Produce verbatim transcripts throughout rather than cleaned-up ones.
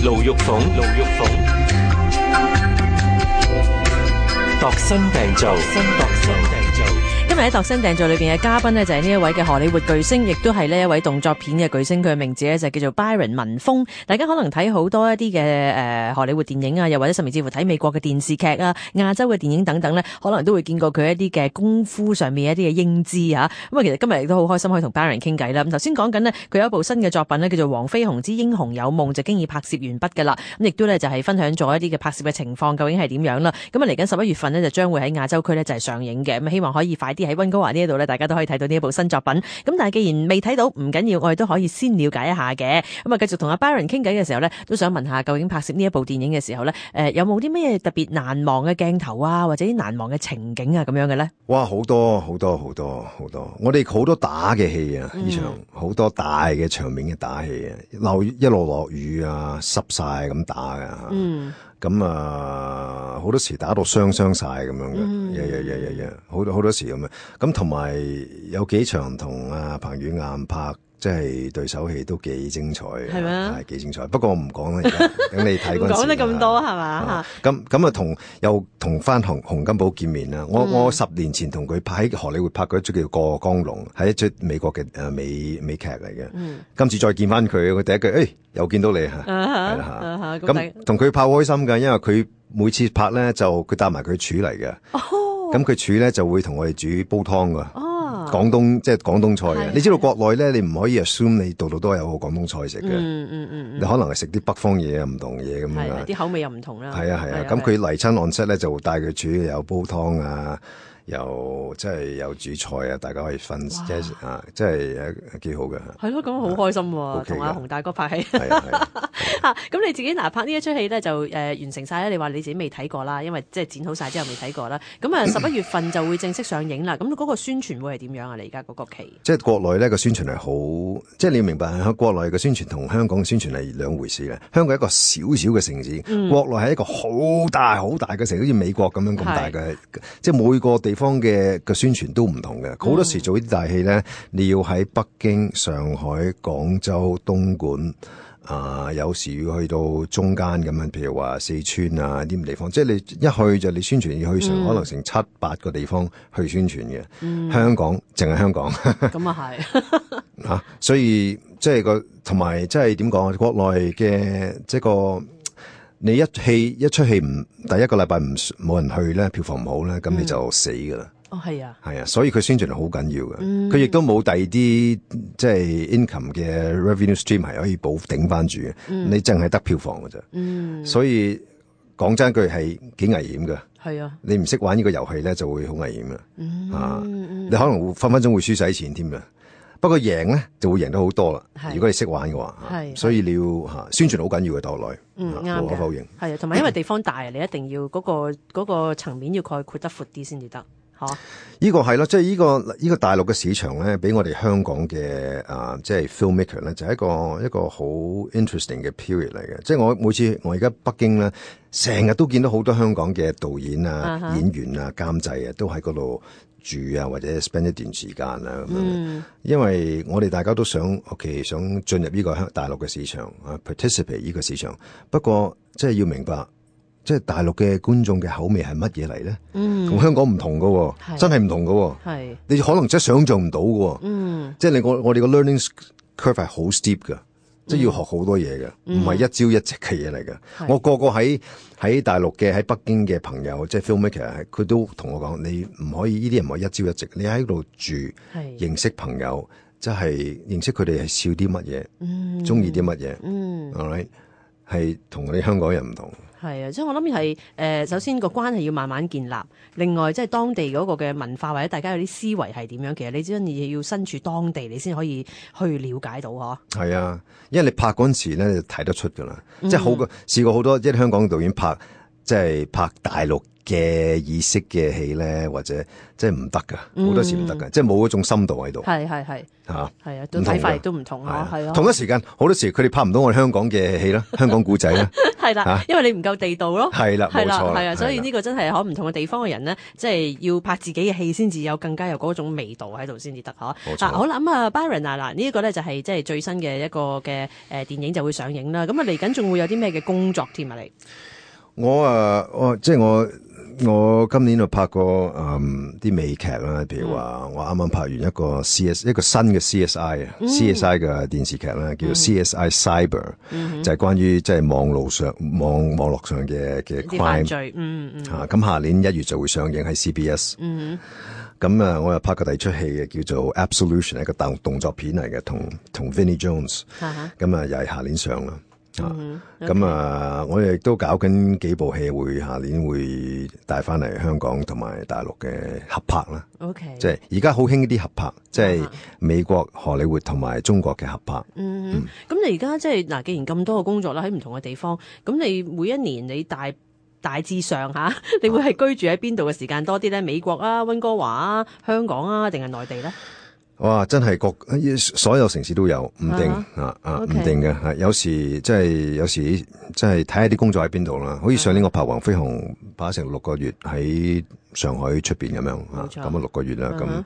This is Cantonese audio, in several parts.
盧玉鳳，盧玉鳳，度身訂造，新度身訂造。今日喺度身訂造裏邊嘅嘉賓呢，就係呢一位嘅荷里活巨星，亦都係呢一位動作片嘅巨星。佢嘅名字呢，就叫做 Byron 文峰。大家可能睇好多一啲嘅誒荷里活電影啊，又或者甚至乎睇美國嘅電視劇啊、亞洲嘅電影等等呢，可能都會見過佢一啲嘅功夫上面一啲嘅英姿啊。咁啊，其實今日亦都好開心可以同 Byron 傾偈啦。咁頭先講緊呢，佢有一部新嘅作品呢，叫做《黃飛鴻之英雄有夢》，就經已拍攝完畢噶啦。咁亦都呢，就係分享咗一啲嘅拍攝嘅情況究竟係點樣啦。咁啊嚟緊十一月份呢，就將會喺亞洲區呢，就係上映嘅。咁希望可以快啲喺溫哥華呢一度咧，大家都可以睇到呢一部新作品。咁但係既然未睇到，唔緊要，我哋都可以先了解一下嘅。咁啊，繼續同阿 Byron 傾偈嘅時候咧，都想問下究竟拍攝呢一部電影嘅時候咧，誒有冇啲咩特別難忘嘅鏡頭啊，或者啲難忘嘅情景啊咁樣嘅咧？哇，好多好多好多好多！我哋好多打嘅戲啊，呢場好多大嘅場面嘅打戲啊，落一路落雨啊，濕晒咁打㗎。嗯。咁啊，好多時打到傷傷晒咁樣嘅，呀呀呀呀呀，好多好多時咁樣。咁同埋有幾場同阿彭于晏拍，即係對手戲都幾精彩嘅，係咩？係幾精彩。不過我唔講啦，而家等你睇嗰陣時。講得咁多係嘛？咁咁啊，同又同翻洪洪金寶見面啦。我、嗯、我十年前同佢拍喺荷里活拍過一出叫《過江龍》，係一出美國嘅誒美美劇嚟嘅。嗯、今次再見翻佢，佢第一句誒、哎、又見到你嚇，係啦嚇。咁同佢拍開心㗎，因為佢每次拍咧就佢帶埋佢廚嚟嘅。咁佢廚咧就會同我哋煮煲湯㗎。哦廣東即係廣東菜嘅，你知道國內咧，你唔可以 assume 你度度都有個廣東菜食嘅。嗯嗯嗯，你可能係食啲北方嘢啊，唔同嘢咁樣。啲口味又唔同啦。係啊係啊，咁佢嚟親岸室咧，就帶佢煮有煲湯啊，又即係有煮菜啊，大家可以分即係啊，即係誒幾好嘅。係咯，咁好開心喎，同阿洪大哥拍戲。係啊係啊，咁你自己嗱拍呢一出戲咧，就誒完成晒咧。你話你自己未睇過啦，因為即係剪好晒之後未睇過啦。咁啊十一月份就會正式上映啦。咁嗰個宣傳會係點樣啊？你而家嗰個期？即係國內咧個宣傳係好，即係你要明白喺國內嘅宣傳同香港嘅宣傳係兩回事嘅。香港係一個小小嘅城市，嗯、國內係一個好大好大嘅城市，好似美國咁樣咁大嘅，即係每個地方嘅嘅宣傳都唔同嘅。好多時做呢啲大戲咧，你要喺北京、上海、廣州、東莞。啊、呃，有時要去到中間咁樣，譬如話四川啊啲地方，即係你一去就你宣傳要去成、嗯、可能成七八個地方去宣傳嘅。嗯、香港淨係香港，咁啊係嚇，所以即係個同埋即係點講啊？國內嘅即係個你一戲一出戲唔第一個禮拜唔冇人去咧，票房唔好咧，咁你就死㗎啦。哦，係啊，係啊，所以佢宣傳係好緊要嘅。佢亦都冇第二啲即係 income 嘅 revenue stream 係可以補頂翻住嘅。嗯、你淨係得票房㗎啫。嗯，所以講真句係幾危險㗎。係啊，你唔識玩呢個遊戲咧，就會好危險嘅。嗯、啊，你可能會分分鐘會輸晒錢添嘅。不過贏咧就會贏得好多啦。如果你識玩嘅話，係，所以你要嚇宣傳好緊要嘅，國內。嗯，啱，無可否認。係啊，同埋因為地方大，你一定要嗰、嗰個嗰、嗰個層面要概括得闊啲先至得。呢個係咯，即係呢個呢、呢個大陸嘅市場咧，俾我哋香港嘅啊，即係 filmmaker 咧，就係一個一個好 interesting 嘅 period 嚟嘅。即係我每次我而家北京咧，成日都見到好多香港嘅導演啊、uh huh. 演員啊、監製啊，都喺嗰度住啊，或者 spend 一段時間啊咁樣。Mm. 因為我哋大家都想，OK，想進入呢個大陸嘅市場啊 ，participate 呢個市場。不過即係要明白。即係大陸嘅觀眾嘅口味係乜嘢嚟咧？嗯，同香港唔同噶，是真係唔同噶。係是你可能真係想象唔到噶。嗯，即係你我我哋個 learning curve 係好 steep 噶，嗯、即係要學好多嘢嘅，唔係、嗯、一朝一夕嘅嘢嚟嘅。是我個個喺喺大陸嘅喺北京嘅朋友，即係 filmmaker，佢都同我講：你唔可以呢啲人唔係一朝一夕，你喺度住，是認識朋友，即係認識佢哋係笑啲乜嘢，嗯，中意啲乜嘢，嗯，係咪係同我哋香港人唔同？係啊，即係我諗係誒，首先個關係要慢慢建立。另外，即係當地嗰個嘅文化或者大家有啲思維係點樣，其實你真係要身處當地，你先可以去了解到嗬。係啊，因為你拍嗰陣時咧，你就睇得出噶啦，嗯、即係好過試過好多即係香港嘅導演拍，即係拍大陸嘅意識嘅戲咧，或者即係唔得噶，好、嗯、多時唔得噶，即係冇嗰種深度喺度。係係係嚇，係啊，都睇法亦都唔同嚇，係啊。同一時間好多時佢哋拍唔到我哋香港嘅戲啦，香港古仔啦。係啦、啊，因為你唔夠地道咯。係啦，冇錯。係啊，所以呢個真係可唔同嘅地方嘅人咧，即係要拍自己嘅戲先至有更加有嗰種味道喺度先至得嚇。冇錯。好啦，咁啊，Byron 啊，嗱呢一個咧就係即係最新嘅一個嘅誒電影就會上映啦。咁啊嚟緊仲會有啲咩嘅工作添啊？你我啊，我即係我。我今年就拍過嗯啲美劇啦，譬如話我啱啱拍完一個 C S 一個新嘅 C S I 啊、嗯、，C S I 嘅電視劇啦，叫做 C S I Cyber，、嗯、就係、是、關於即係網路上網網絡上嘅嘅 crime 罪，嗯嗯，啊，咁下年一月就會上映喺 C B S，嗯，咁啊，我又拍過第二出戲嘅叫做 Absolution， 一個動動作片嚟嘅，同同 Vinnie Jones， 咁啊又係下年上啦。咁、嗯 okay. 啊，我亦都搞緊幾部戲，會下年會帶翻嚟香港同埋大陸嘅合拍啦。OK，即係而家好興啲合拍，即、就、係、是、美國荷里活同埋中國嘅合拍。嗯，咁、嗯、你而家即係嗱，既然咁多嘅工作啦，喺唔同嘅地方，咁你每一年你大大致上吓，你會係居住喺邊度嘅時間多啲咧？美國啊、溫哥華啊、香港啊，定係內地咧？哇！真係各所有城市都有，唔定啊啊，唔、okay. 定嘅係有時即係有時即係睇下啲工作喺邊度啦。好似上年我拍《黃飛鴻》拍成六個月喺上海出邊咁樣啊，咁啊六個月啦，咁、uh-huh.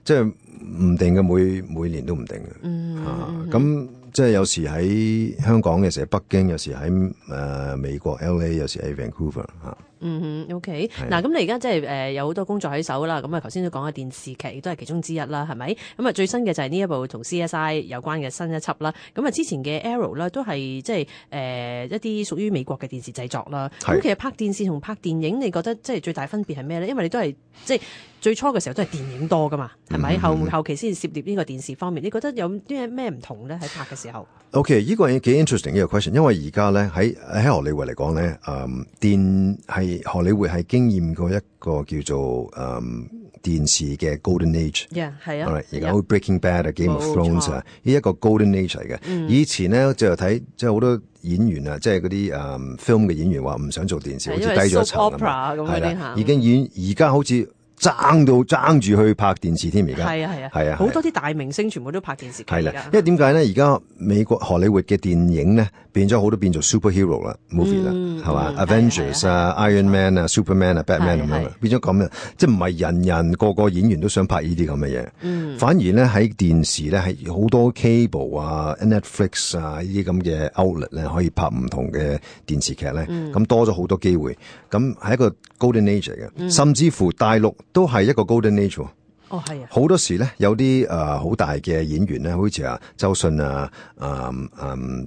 即係唔定嘅，每每年都唔定嘅。嗯、uh-huh. 啊，咁即係有時喺香港，有時喺北京，有時喺誒、呃、美國 L A， 有時喺 Vancouver 啊。嗯哼 ，OK。嗱，咁你而家即係誒有好多工作喺手啦。咁啊，頭先都講嘅電視劇亦都係其中之一啦，係咪？咁啊，最新嘅就係呢一部同 C S I 有關嘅新一輯啦。咁啊，之前嘅 Arrow 咧都係即係誒一啲屬於美國嘅電視製作啦。咁其實拍電視同拍電影，你覺得即係最大分別係咩咧？因為你都係即係最初嘅時候都係電影多噶嘛，係咪？嗯、後後期先至涉獵呢個電視方面，你覺得有啲咩唔同咧？喺拍嘅時候 ？OK， 呢個幾 interesting 呢個 question，因為而家咧喺喺荷里活嚟講咧，誒電係荷里活係經驗過一個叫做誒、嗯、電視嘅 Golden Age， 係、yeah, 啊，而家好 Breaking Bad 啊 ，Game of Thrones 啊，呢一個 Golden Age 嚟嘅、嗯。以前咧就睇即係好多演員啊，即係嗰啲誒 film 嘅演員話唔想做電視，好似低咗一層咁。係啦，已經演而家好似。爭到爭住去拍電視添，而家係啊係啊係啊，好多啲大明星全部都拍電視劇。係啦，因為點解咧？而家美國荷里活嘅電影咧變咗好多變做 superhero 啦 movie 啦，係嘛 Avengers 啊 Iron Man 啊 Superman 啊 Batman 咁樣，變咗咁樣，即係唔係人人個個演員都想拍呢啲咁嘅嘢。反而咧喺電視咧係好多 cable 啊 Netflix 啊呢啲咁嘅 outlet 咧可以拍唔同嘅電視劇咧，咁多咗好多機會。咁係一個 golden age 嚟嘅，甚至乎大陸。都係一個 golden age 喎。哦，係啊。好多時咧，有啲誒好大嘅演員咧，好似啊周迅啊，誒誒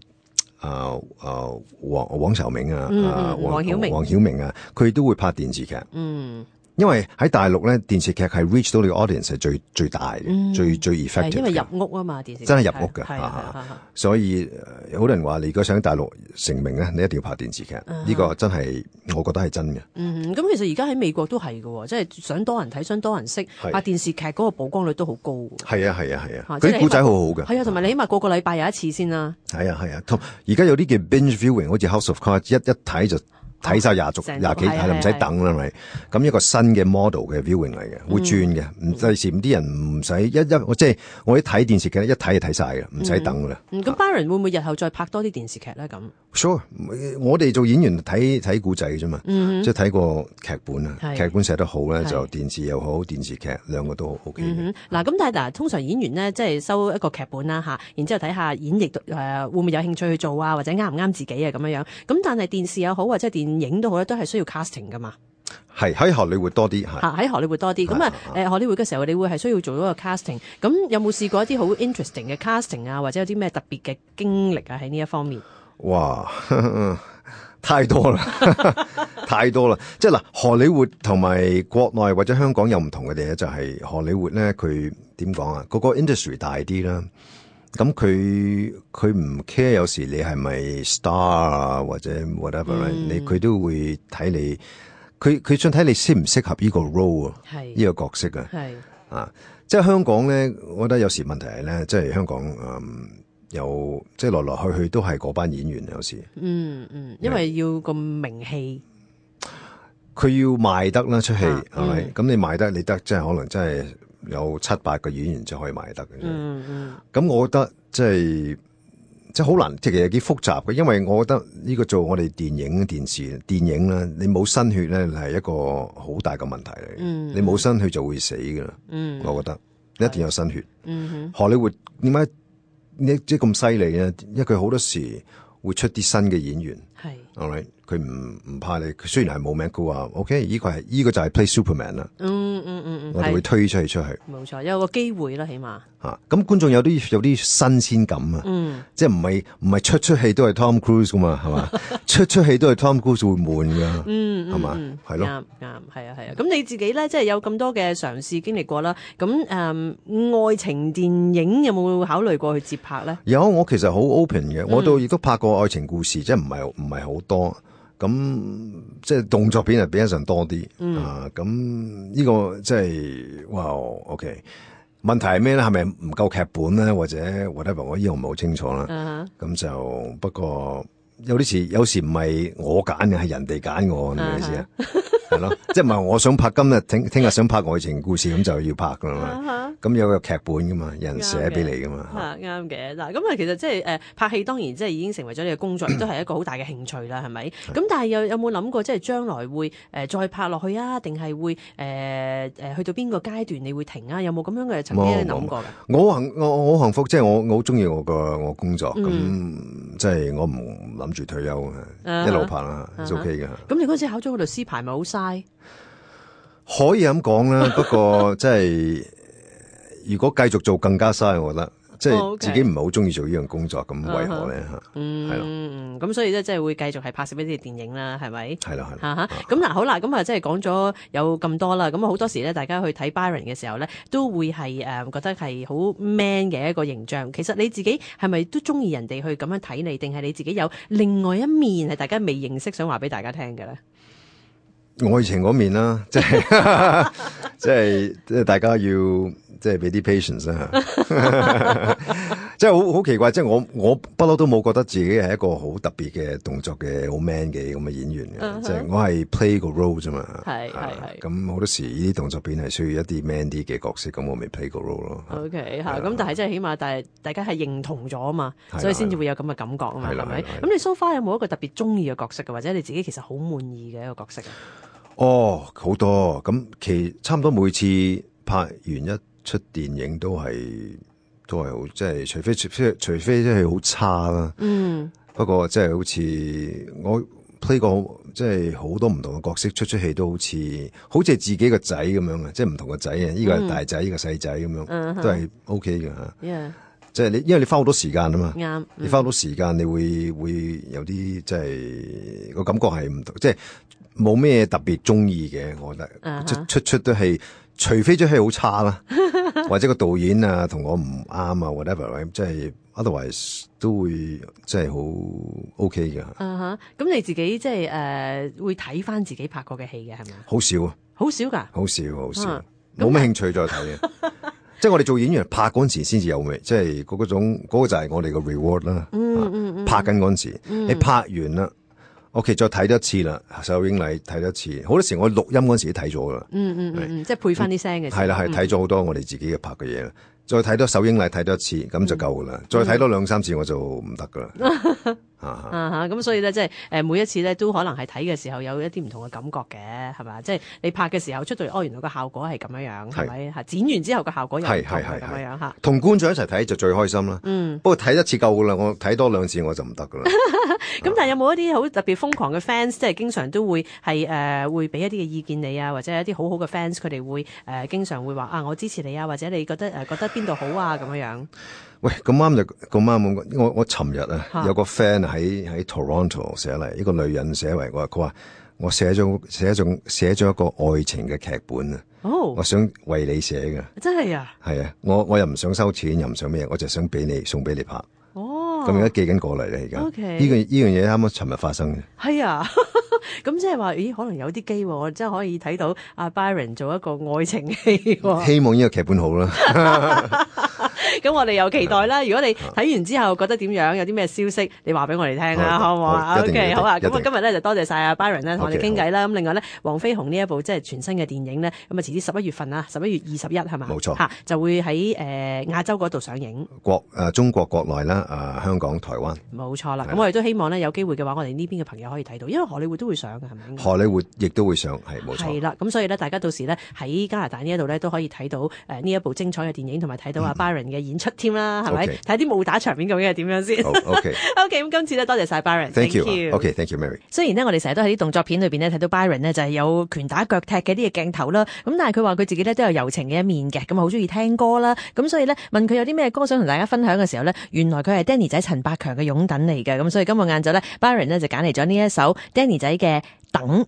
誒誒黃黃曉明啊，啊黃曉明黃曉明啊，佢都會拍電視劇。嗯。因為喺大陸咧，電視劇係 reach 到你個 audience 係最最大嘅、嗯，最最 effective。因為入屋啊嘛，電視劇真係入屋嘅，係啊，所以好多人話你如果想喺大陸成名咧，你一定要拍電視劇。呢、嗯這個真係我覺得係真嘅。嗯，咁其實而家喺美國都係嘅，即係想多人睇，想多人識，拍電視劇嗰個曝光率都好高。係啊係啊係啊，嗰啲古仔好好嘅。係啊，同埋你起碼個個禮拜有一次先啦。係啊係啊，同而家有啲叫 binge viewing， 好似 House of Cards， 一一睇就。睇晒廿續廿幾係啦，唔使等啦咪。咁一個新嘅 model 嘅 viewing 嚟嘅，會轉嘅。唔第時啲人唔使一一，我即係我一睇電視劇一睇就睇晒嘅，唔使等噶啦。咁、嗯嗯、Byron 會唔會日後再拍多啲電視劇咧？咁 Sure，我哋做演員睇睇古仔啫嘛，即係睇個劇本啊，劇本寫得好咧，就電視又好，電視劇兩個都 OK 嘅。嗱、嗯，咁但係嗱，通常演員咧即係收一個劇本啦吓，然之後睇下演繹誒、呃、會唔會有興趣去做啊，或者啱唔啱自己啊咁樣樣。咁但係電視又好或者電影都好咧，都係需要 casting 噶嘛。係喺荷里活多啲，吓喺荷里活多啲。咁啊，誒，荷里活嘅時候，你會係需要做一個 casting。咁有冇試過一啲好 interesting 嘅 casting 啊，或者有啲咩特別嘅經歷啊？喺呢一方面，哇，呵呵太多啦，太多啦。即係嗱，荷里活同埋國內或者香港有唔同嘅嘢，就係荷里活咧，佢點講啊？嗰個 industry 大啲啦。咁佢佢唔 care 有時你係咪 star 啊或者 whatever，嗯、你佢都會睇你，佢佢想睇你適唔適合呢個 role 啊，呢個角色啊，啊，即係香港咧，我覺得有時問題係咧，即係香港嗯有即係來來去去都係嗰班演員有時，嗯嗯，因為要個名氣。佢要賣得啦出戲係咪？咁、嗯、你賣得你得，即係可能真係有七八個演員就可以賣得嘅。嗯嗯。咁我覺得即係即係好難，即係其實幾複雜嘅，因為我覺得呢個做我哋電影、電視、電影咧，你冇新血咧係一個好大嘅問題嚟。嗯。你冇新血就會死㗎啦。嗯。我覺得你一定有新血。嗯哼。荷里活點解你即係咁犀利咧？因為佢好多時會出啲新嘅演員。係。係咪？佢唔唔怕你，佢雖然係冇名，佢話 OK，呢個係呢個就係 play Superman 啦。嗯嗯嗯嗯，我哋會推出去出去。冇錯，有個機會啦，起碼吓。咁觀眾有啲有啲新鮮感啊。嗯，即係唔係唔係出出戲都係 Tom Cruise 噶嘛，係嘛？出出戲都係 Tom Cruise 會悶噶。嗯，係嘛？係咯。啱啱係啊係啊。咁你自己咧，即係有咁多嘅嘗試經歷過啦。咁誒、嗯，愛情電影有冇考慮過去接拍咧？有，我其實好 open 嘅，我都亦都拍過愛情故事，嗯、即係唔係唔係好多。咁即係動作片係比得上多啲、嗯、啊！咁呢個即係哇 ，OK。問題係咩咧？係咪唔夠劇本咧，或者 whatever？我呢個唔係好清楚啦。咁、uh-huh. 就不過有啲時有時唔係我揀嘅，係人哋揀我，係咪意思啊？係咯，即係唔係我想拍今日聽聽日想拍愛情故事咁就要拍噶啦嘛，咁、uh-huh. 有個劇本噶嘛，有人寫俾你噶嘛。啱嘅，嗱咁啊，其實即係誒拍戲當然即係已經成為咗你嘅工作，亦都係一個好大嘅興趣啦，係咪？咁但係有有冇諗過即係將來會誒、呃、再拍落去啊？定係會誒誒、呃、去到邊個階段你會停啊？有冇咁樣嘅曾經諗過㗎？我幸我我好幸福，即係我我好中意我個我工作，咁、嗯、即係我唔諗住退休嘅，uh-huh. 一路拍啦，係 OK 嘅。咁你嗰陣時考咗個律師牌咪好嘥？可以咁講啦，不過即係如果繼續做更加嘥，我覺得即係自己唔係好中意做呢樣工作，咁、oh, okay. 為何咧吓？嗯，係咯，嗯，咁所以咧即係會繼續係拍攝一啲電影啦，係咪？係啦，係啦。咁嗱，好啦，咁啊，即係講咗有咁多啦，咁好多時咧，大家去睇 Byron 嘅時候咧，都會係誒覺得係好 man 嘅一個形象。其實你自己係咪都中意人哋去咁樣睇你，定係你自己有另外一面係大家未認識，想話俾大家聽嘅咧？愛情嗰面啦，即係即係即係大家要即係俾啲 patience 啦，即係好好奇怪，即係我我不嬲都冇覺得自己係一個好特別嘅動作嘅好 man 嘅咁嘅演員嘅，uh-huh. 即係我係 play 個 role 啫嘛，係係係，咁好多時呢啲動作片係需要一啲 man 啲嘅角色，咁我咪 play 個 role 咯。OK 吓，咁但係即係起碼，但係大家係認同咗啊嘛，所以先至會有咁嘅感覺啊嘛，係咪？咁你 so far 有冇一個特別中意嘅角色嘅，或者你自己其實好滿意嘅一個角色啊？哦，好多咁，其差唔多每次拍完一出電影都係都係好，即係除非除非除非即係好差啦。嗯，不過即係好似我 play 過即係好多唔同嘅角色，出出戲都好似好似係自己個仔咁樣啊，即係唔同個仔啊，呢個係大仔，呢個細仔咁樣，都係 OK 嘅吓。Yeah. 即係你，因為你花好多時間啊嘛，嗯、你花好多時間，你會會有啲即係個感覺係唔同，即係冇咩特別中意嘅，我覺得、uh-huh. 出出出都係，除非出戲好差啦，或者個導演啊同我唔啱啊 whatever， 即係 otherwise 都會即係好 OK 嘅。嗯哼，咁你自己即係誒會睇翻自己拍過嘅戲嘅係咪？好少啊，好少噶，好少好少，冇、uh-huh. 咩興趣再睇嘅。即係我哋做演員拍嗰陣時先至有味，即係嗰嗰種嗰、嗰個就係我哋個 reward 啦、嗯嗯嗯。拍緊嗰陣時、嗯，你拍完啦，OK 再睇多一次啦，首映禮睇多一次。好多時我錄音嗰陣時都睇咗噶啦。嗯嗯嗯，即係配翻啲聲嘅。係啦係，睇咗好多我哋自己嘅拍嘅嘢啦。再睇多首映禮睇多一次，咁就夠噶啦。再睇多兩三次我就唔得噶啦。啊吓，咁所以咧，即係誒，每一次咧都可能係睇嘅時候有一啲唔同嘅感覺嘅，係嘛？即係你拍嘅時候出到嚟，哦，原來個效果係咁樣樣，係咪吓？剪完之後個效果又係係係咁樣樣吓。同觀眾一齊睇就最開心啦。嗯，不過睇一次夠噶啦，我睇多兩次我就唔得噶啦。咁但係有冇一啲好特別瘋狂嘅 fans，即係經常都會係誒、呃、會俾一啲嘅意見你啊，或者一啲好好嘅 fans，佢哋會誒、呃、經常會話啊，我支持你啊，或者你覺得誒、呃、覺得邊度好啊咁樣樣。喂，咁啱就咁啱，我我尋日啊有個 fan 喺喺 Toronto 寫嚟，一個女人寫嚟，我話佢話我寫咗寫咗寫咗一個愛情嘅劇本啊，哦，我想為你寫嘅，真係啊，係啊，我我又唔想收錢，又唔想咩，我就想俾你送俾你拍，哦，咁而家寄緊過嚟啦，而家，呢、okay. 呢個呢樣嘢啱啱尋日發生嘅，係啊。咁即係話，咦？可能有啲機會，我真係可以睇到阿 Byron 做一個愛情戲。希望呢個劇本好啦。咁我哋又期待啦。如果你睇完之後覺得點樣，有啲咩消息，你話俾我哋聽啦，好唔好啊 ？OK， 好啊。咁啊，今日咧就多謝晒阿 Byron 咧，同我哋傾偈啦。咁另外咧，黃飛鴻呢一部即係全新嘅電影咧，咁啊遲啲十一月份啊，十一月二十一係嘛？冇錯，嚇就會喺誒亞洲嗰度上映。國誒中國國內啦，誒香港、台灣。冇錯啦。咁我哋都希望咧有機會嘅話，我哋呢邊嘅朋友可以睇到，因為荷里活都會上嘅，係咪？荷里活亦都會上，係冇錯。係啦，咁所以咧，大家到時咧喺加拿大呢一度咧都可以睇到誒呢一部精彩嘅電影，同埋睇到阿 Byron 嘅演出添啦，係咪？睇啲武打場面究竟係點樣先？好 OK，OK，咁今次咧多謝晒 Byron，Thank you，OK，Thank you，Mary。雖然呢，我哋成日都喺啲動作片裏邊咧睇到 Byron 呢就係有拳打腳踢嘅啲嘅鏡頭啦，咁但係佢話佢自己咧都有柔情嘅一面嘅，咁好中意聽歌啦，咁所以咧問佢有啲咩歌想同大家分享嘅時候咧，原來佢係 Danny 仔陳百強嘅擁躉嚟嘅，咁所以今日晏晝咧 Byron 呢就揀嚟咗呢一首 Danny 仔嘅等。